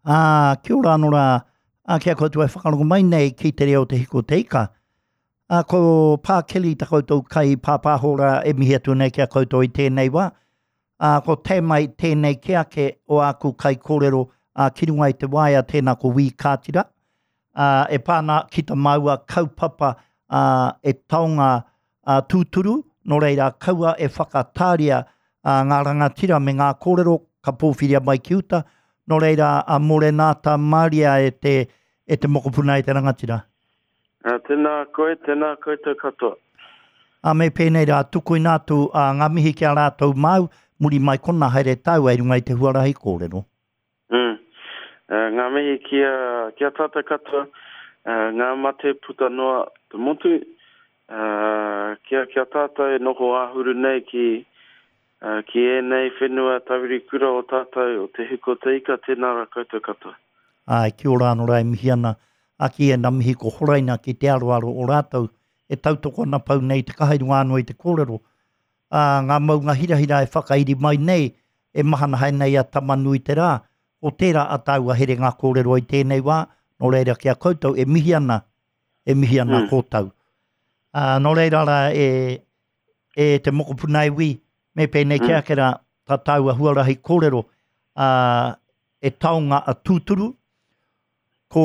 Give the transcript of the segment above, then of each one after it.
Ā, kia ora anō rā, ā, ki a koutou e whakarongo mai nei ki te reo o Te Hiku o Te Ika. Ā, ko Pā Kelly ta koutou kai pāpāho rā e mihi atu nei ki a koutou i tēnei wā. Ā, ko Tēmai tēnei ke ake o āku kaikōrero, ā, ki runga i te waea tēnā ko Wī Kātira, ā, e pā ana ki ta māua kaupapa, ā, e taonga ā, tūturu, nō reira kaua e whakatāria ā, ngā rangatira me ngā kōrero ka pōwhiria mai ki uta, nō reira a Mōrena Maria e te, e te mokopuna e te rangatira. Ā, tēnā koe, tēnā koutou katoa. Ā, me pēnei rā, tukuina atu ā, ngā mihi ki a rātou māu, muri mai kona haere tāua i runga i te huarahi kōrero. Mm. Uh, ngā mihi ki a, ki a tātou katoa, uh, ngā mate puta noa te motu, uh, ki, a, ki a tātou e noho āhuru nei ki, uh, ki ēnei whenua tawiri kura o tātou, o Te Huku o Te Ika, tēnā rā koutou katoa. Āe, kia ora anō rā e mihi ana, a ki ēnā mihi ko horaina ki te aroaro o rātou e tautoko ana pau nei te kaha i runga anō i te kōrero. Ā, ngā maunga hirahira e whakairi mai nei, e mahana haere nei a Tama-nui-te-rā, ko tērā a tāua herenga kōrero i tēnei wā, nō reira ki a koutou e mihi ana, e mihi ana mm. kōtau. Ā, nō reira rā e, e te mokopuna e wī, me pēnei mm. ki ake rā, tā tāua huarahi kōrero, ā, e taonga a tūturu, ko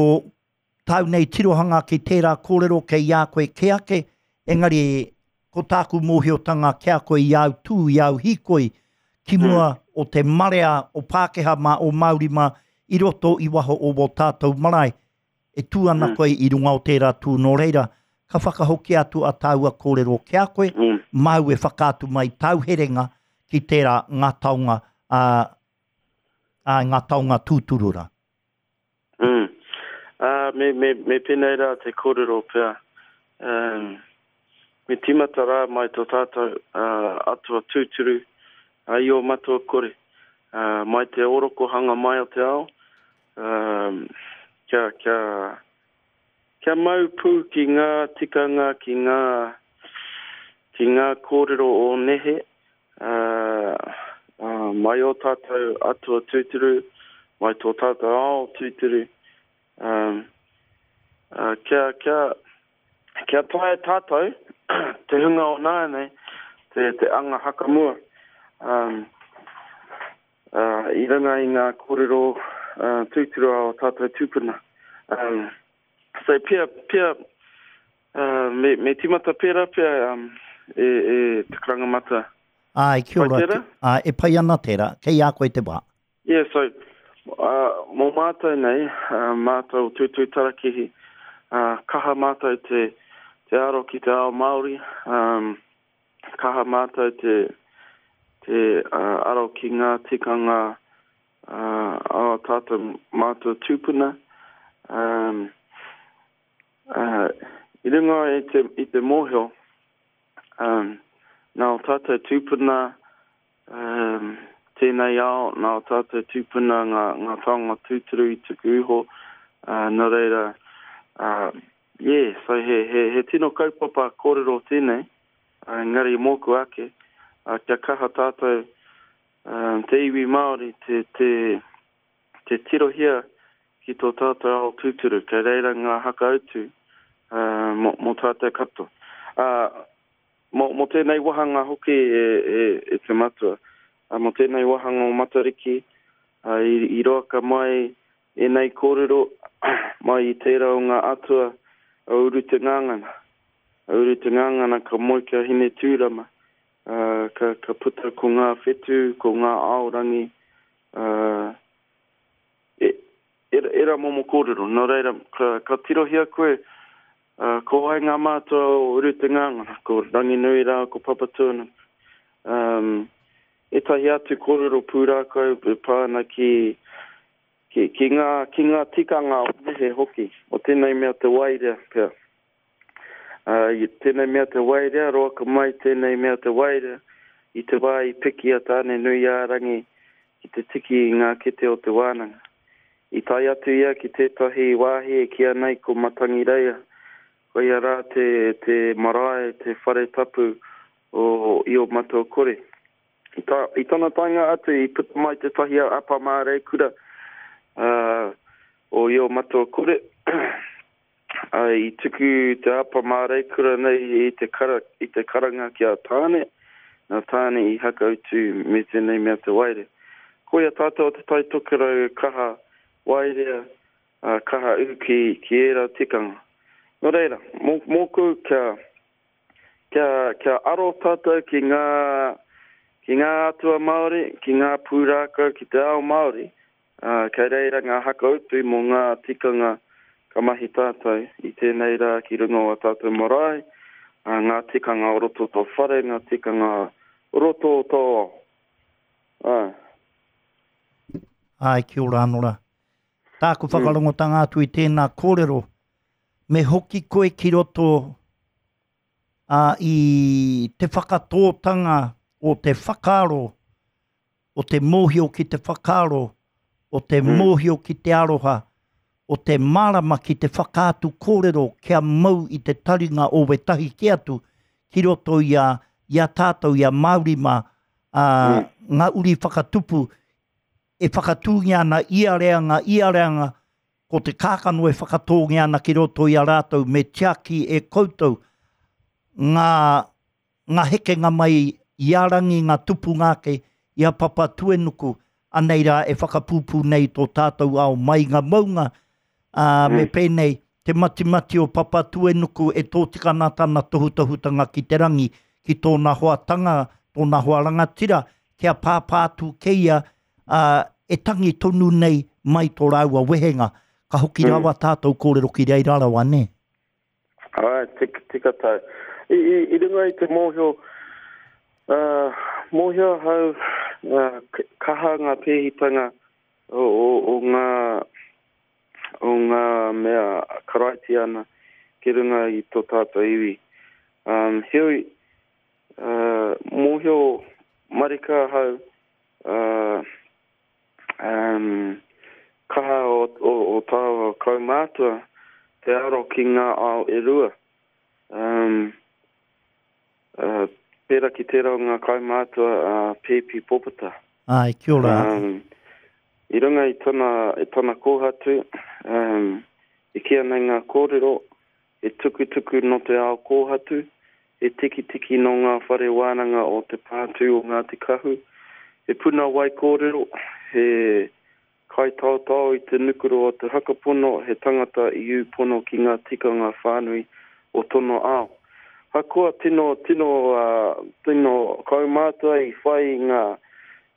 tāu nei tirohanga ki tērā kōrero kei a koe kē ake, engari ko tāku mōhiotanga ki a koe i āu tū, i āu hīkoi ki mua mm. o te marea o Pākehā mā, o Māori mā, i roto i waho o wō tātou marae, e tū ana mm. koe i runga o tērā tū nō reira, ka whakahoki atu a tāua kōrero ki a koe, mm. māu e whakaatu mai tāu herenga ki tērā ngā taonga, ā, ā, ngā taonga tūturu rā. Mm. Uh, me, me, me pēnei rā te kōrero pea. Um, me tīmata rā mai tō tātou uh, atua tūturu, uh, i ō matua kore, uh, mai te orokohanga mai o te ao, um, kia, kia, kia mau pū ki ngā tikanga, ki ngā, ki ngā kōrero o nehe, Ā, mai ō tātou atua tūturu, mai tō tātou ao tūturu, ā, ā, kia, kia, kia taea tātou, te hunga o nāianei, te, te anga hakamua, ā, ā, i runga i ngā kōrero, ā, tūturu a ō tātou tūpuna. Ā, so pea, pea, Uh, me, me timata pērā pea um, e, e te karanga mata. Āe, kia ora. Pai Āe, e pai ana tērā. Kei a koe te wā. Yeah, so, uh, mō mātou nei, uh, mātou o Tuitui Tarakihi, uh, kaha mātou te, te aro ki te ao Māori, um, kaha mātou te, te uh, aro ki ngā tikanga uh, a tātou mātou tūpuna. Um, Uh, I runga i te, i te mōhio, um, nā o tātou tūpuna um, tēnei ao, nā o tātou tūpuna ngā, ngā taonga tūturu i tuku iho, uh, nō reira, uh, yeah, so he, he, he tino kaupapa kōrero tēnei, uh, engari mōku ake, uh, kia kaha tātou um, te iwi Māori, te, te, te tirohia ki tō tātou ao tūturu, kei reira ngā hakautu mō, mō tātou katoa. Ā, mō, mō tēnei wāhanga hoki e, e, e te matua, ā, mō tēnei wāhanga o Matariki, ā, i, i roaka mai ēnei kōrero mai i tērā o ngā atua o Uru Te Ngangana. A Uru Te Ngangana ka moe ki a Hinetūrama, ā, ka, ka puta ko ngā whetū, ko ngā aorangi, Ā, e, era, era momo kōrero. Nō reira, ka, ka tirohia koe, ā, ko wai ngā mātua o Uru Te Ngāngana, ko Ranginui rā, ko Papatūānuku. Um, ētahi atu kōrero pūrākau e pā ana ki, ki, ki, ngā, ki ngā tikanga o nehe hoki, o tēnei mea te waerea pea. Ā, i tēnei mea te waerea, roaka mai tēnei mea te waerea, i te wā i piki a Tāne-nui-ā-rangi ki te tiki i ngā kete o te wānanga. I tae atu ia ki tētahi wāhi e kīa nei ko Matangireia, koia rā te, te marae, te whare tapu o Io-matua-kore. I, ta, i tana taenga atu i puta mai tētahi apa māreikura. O Io Matua Kore, i tuku te apa māreikura nei i te, kara, i te karanga ki a Tāne, nā Tāne i hakautu me tēnei mea te waerea. Koia tātou o Te Tai Tokerau kaha waerea, kaha ū ki, ki ērā tikanga. Nō reira, mō, mōku kia, kia, kia aro tātou ki ngā, ki ngā atua Māori, ki ngā pūrākau, ki te ao Māori, Ā, kei reira ngā hakautu mō ngā tikanga ka mahi tātou i tēnei rā ki runga o ā tātou marae, ā, ngā tikanga o roto o tō whare, ngā tikanga o roto o tō ao. Āe. Āe, kia ora anō rā. Tāku whakarongotanga atu i tēnā kōrero, me hoki koe ki roto ā, i te whakatōtanga o te whakaaro o te mōhio ki te whakaaro, o te mōhio ki te aroha, o te mārama ki te whakaatu kōrero kia mau i te taringa o wētahi kē atu ki roto i a, i a tātou, i a Māori mā, ā, ngā uri whakatupu e whakatūngia ana ia reanga, ia reanga, ko te kākano e whakatōngia ana ki roto i a rātou me tiaki e koutou ngā ngā hekenga mai i a Rangi, ngā tupunga ake i a Papatuenuku, anei rā e whakapūpū nei tō tātou ao mai ngā maunga, ā, me pēnei, te matimati o Papatuenuku e tōtika ana tana tohutohutanga ki te rangi, ki tōna hoa tanga, tōna hoa rangatira, kia pāpā atu kei ia, ā, e tangi tonu nei mai tō rāua wehenga. Ka hoki rawa tātou kōrero ki reira rawa, nē? Āe, tika, tika tau. I, i, i runga i te mōhio, uh, mōhio ahau uh, kaha ngā pēhitanga o, o, o ngā o ngā mea karaitiana ki runga i tō tātou iwi. Um, heoi, uh, mōhio marika ahau, uh, Um, kaha o, o, o tāua kaumātua te aro ki ngā ao e rua. Um, uh, pērā ki tērā o ngā kaumātua a uh, Pēpi Popata. Ai, kia ora. Um, I runga i tana, i tana kōhatu, um, i kīa nei ngā kōrero, He tukutuku nō te ao kōhatu, he tikitiki nō ngā whare wānanga o Te Pātū o Ngāti Kahu, he puna wai kōrero, he kaitaotao i te nukuro o te whakapono, he tangata i ū pono ki ngā tikanga whānui o tono ao. Hakoa tino, tino, tino kaumātua i whai i ngā,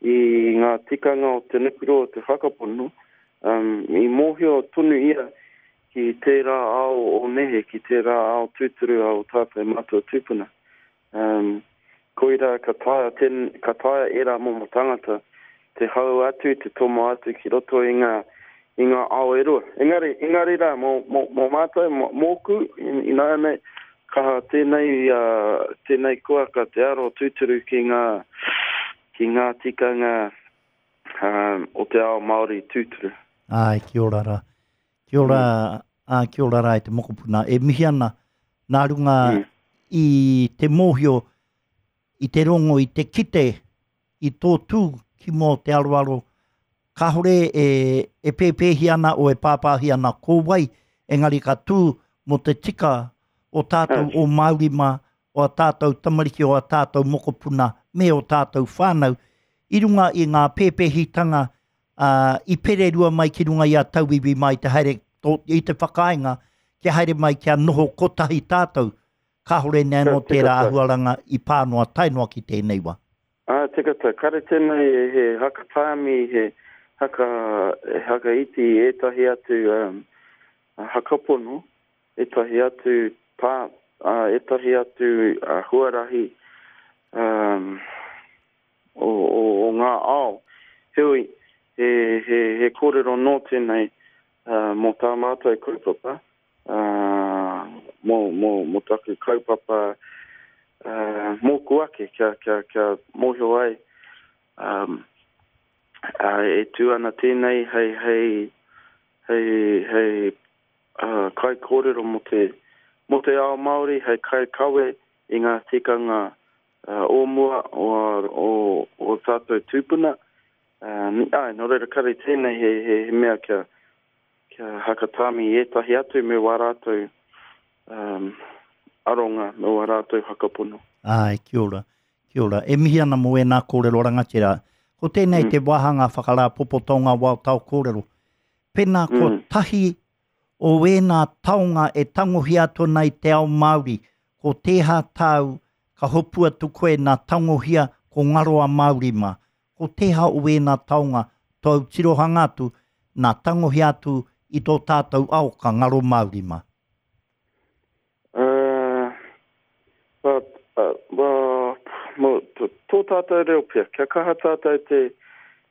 i ngā tikanga o te nukuro o te whakapono, i mōhio tonu ia ki tērā ao o nehe, ki tērā ao tūturu a ō tātou mātua tūpuna. Um, koirā ka taea, ten, ka taea ērā momo tangata te hau atu, te tomo atu ki roto i ngā, i ngā ao e rua. Engari, engari rā, mō, mō, mō mātou, mō, mōku, ināianei, kaha tēnei, uh, tēnei kuaka te aro tūturu ki ngā, ki ngā tikanga um, o te ao Māori tūturu. Āe, kia ora rā. Kia ora, mm. ā, kia ora rā e te mokopuna. E mihi ana nā runga mm. i te mōhio, i te rongo, i te kite, i tō tū ki mō te aroaro, kāore e, e pēpēhi ana o e pāpāhi ana ko wai, engari ka tū mō te tika o tātou o Māori mā, o a tātou tamariki, o a tātou mokopuna, me o tātou whānau, i runga i ngā pēpēhitanga ā, i pererua mai ki runga i a tauiwi mai te haere, tō, i te whakaaenga kia haere mai kia noho kotahi tātou, kāore nei anō tērā āhuaranga i pā noa tae noa ki tēnei wā. Ā, tika tā, kare tēnei he haka tāmi, he haka, he haka iti i ētahi atu um, hakapono, ētahi atu tā, uh, ētahi atu uh, huarahi um, o, o, o ngā ao. Heoi, he, he, he kōrero nō tēnei uh, mō tā mātou kaupapa, uh, mō, mō, mō taku kaupapa uh, mōku ake, kia, kia, kia mōhio ai um, uh, e tū ana tēnei hei, hei, hei, hei uh, kaikōrero mō te, mō te ao Māori, hei kaikawe i ngā tikanga o mua o ō tātou tūpuna. Āe, nō reira kare tēnei he, he, he mea kia, kia hakatāmi i ētahi atu me wā rātou um, aronga, me wā rātou whakapono. Āe, kia ora, kia ora. E mihi ana mō ēnā kōrero rangatira. Ko tēnei mm. te wāhanga whakarāpopoto o ngā wao tao kōrero. Pēnā ko mm. tahi o ēnā taonga e tangohia atu ana i te ao Māori, ko tēhā tāu ka hopu atu koe nā tangohia ko ngaro a Māori mā. Ko tēhā o ēnā taonga tōu tirohanga atu nā tangohia atu i tō tātou ao ka ngaro Māori mā? Uh, but, uh, well, mo, tō tātou reo pea, kia kaha tātou te,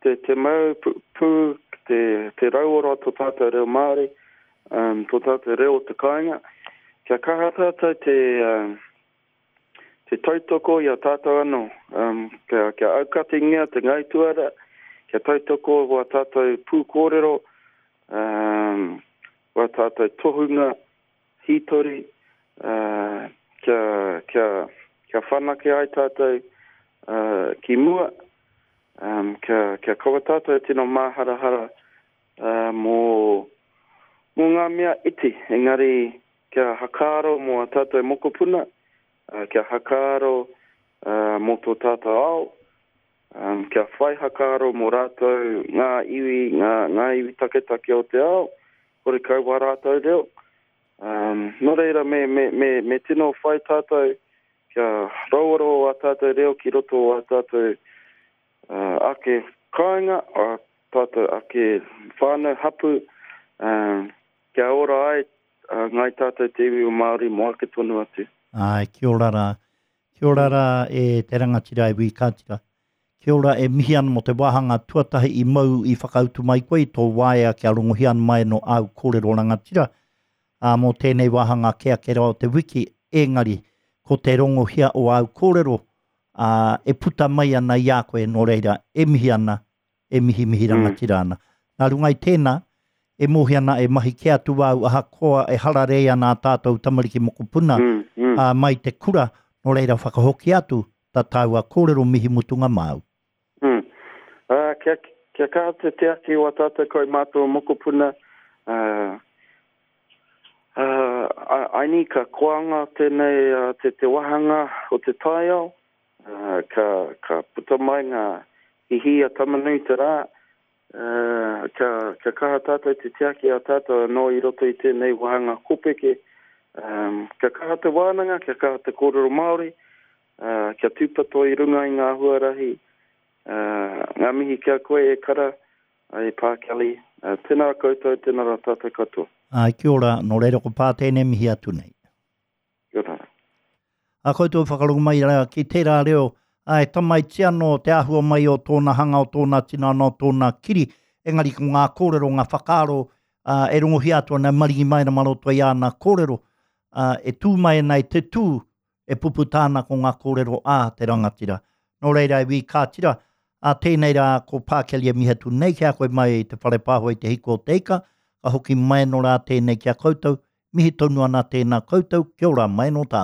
te, te mau pū, pū te, te rauora o tō tātou reo Māori, um, tō tātou reo o te kāinga, kia kaha tātou te, um, te tautoko i a tātou anō, um, kia, kia aukatingia te ngaituara, kia tautoko wā tātou pūkōrero, um, wā tātou tohunga, hītori, ā, kia, kia, kia whanake ai tātou, ā, ki mua, ā, kia, kia kaua tātou e tino māharahara, ā, mō, mō ngā mea iti, engari kia hakaaro mō ā tātou mokopuna, ā, kia hakaaro, ā, mō tō tātou ao, ā, kia whai hakaaro mō rātou ngā iwi, ngā, ngā iwi taketake o te ao, horekau wā rātou reo. Ā, nō reira me, me, me, me tino whai tātou kia rauora o ā tātou reo ki roto o ā tātou ā, ake kāinga, ā tātou ake whānau, hapū, ā, kia ora ai ā, ngāi tātou te iwi o Māori mō ake tonu atu. Āe, kia ora rā. Kia ora rā e te rangatira e Wī Kātira. Kia ora e mihi ana mō te wāhanga tuatahi i mau i whakautu mai koe i tō waea kia rongohia ana mai anō āu kōrero rangatira, ā, mō tēnei wāhanga ake ake rawa o te wiki, engari, ko te rongohia o āu kōrero, ā, e puta mai ana i a koe, nō reira, e mihi ana, e mihimihi rangatira ana. Nā runga i tēnā, e mōhio ana e mahi kē atu āu ahakoa e hararei ana ā tātou tamariki mokopuna, ā, mai te kura, nō reira whakahoki atu tā tāua kōrero mihi mutunga māu. Mm. Ā, kia, kia kaha te tiaki o ā tātou kaumātua mokopuna, ā, ā, aini ka koanga tēnei, ā, te, te wāhanga o te taiao, ā, ka, ka puta mai ngā hihī a Tamanui-te-rā, ā, kia, kia kaha tātou te tiaki a tātou anō i roto i tēnei wāhanga kopeke, ā, kia kaha te wānanga, kia kaha te kōrero Māori, Ā, kia tūpato i runga i ngā huarahi. Ā, ngā mihi ki a koe e Kara, e Pā Kelly. Ā, tēnā koutou, tēnā rā tātou katoa. Āe, kia ora, nō reira ko Pā tēnei mihi atu nei. Kia ora. A koutou whakarongo mai rā ki tērā reo, ā, e tamaiti anō te āhua mai o tōna hanga, o tōna tinana, o tōna kiri, engari ko ngā kōrero, ngā whakaaro, ā, e rongohia atu ana, e maringi mai ana mā roto i āna kōrero, ā, e tū mai ana i te tū, e puputa ana ko ngā kōrero a te rangatira. Nō reira e Wī Kātira, ā tēnei rā ko Pākeli e mihi atu nei ki a koe mai i te whare pāho i te hiko o te ika, ka hoki mai anō rā tēnei ki a koutou, mihi tonu ana tēnā koutou, kia ora mai anō tātou.